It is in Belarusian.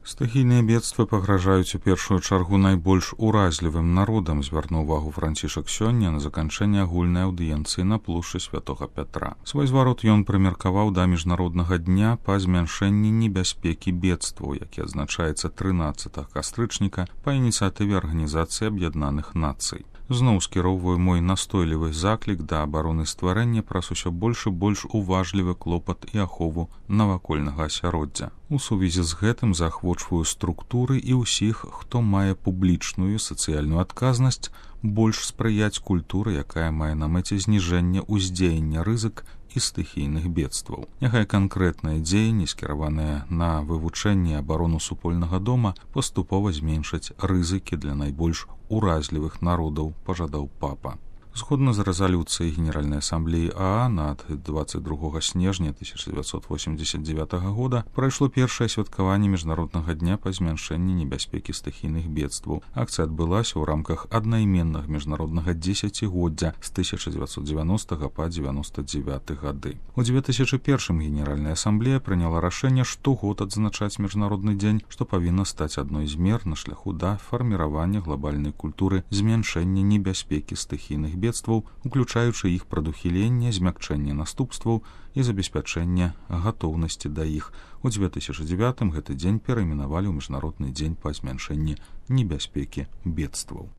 Стыхійныя бедствы пагражаюць у першую чаргу найбольш уразлівым народам, звярнуў увагу Францішак сёння на заканчэнне агульнай аўдыенцыі на плошчы Святога Пятра. Свой зварот ён прымеркаваў да міжнароднага дня па змяншэнні небяспекі бедстваў, які адзначаецца 13 кастрычніка па ініцыятыве Арганізацыі Аб'яднаных Нацый. Зноў скіроўваю мой настойлівы заклік да абароны стварэння праз усё больш і больш уважлівы клопат і ахову навакольнага асяроддзя. У сувязі з гэтым заахвочваю структуры і ўсіх, хто мае публічную сацыяльную адказнасць, больш спрыяць культуры, якая мае на мэце зніжэнне ўздзеяння рызык і стыхійных бедстваў. Няхай канкрэтныя дзеянні, скіраваныя на вывучэнне абарону супольнага дома, паступова зменшаць рызыкі для найбольш уразлівых народаў, пажадаў папа. Згодна з рэзалюцыяй Генеральнай асамблеі ААН ад 22 снежня 1989 года прайшло першае святкаванне міжнароднага дня па змяншэнні небяспекі стыхійных бедстваў. Акцыя адбылася ў рамках аднайменнага міжнароднага дзесяцігоддзя з 1990 па 99 гады. У 2001 Генеральная асамблея прыняла рашэнне штогод адзначаць міжнародны дзень, што павінна стаць адной з мер на шляху да фарміравання глобальнай культуры змяншэння небяспекі стыхійных бедстваў, уключаючы іх прадухіленне, змякчэнне наступстваў і забеспячэнне гатоўнасці да іх. У 2009 гэты дзень перайменавалі ў міжнародны дзень па змяншэнні небяспекі бедстваў.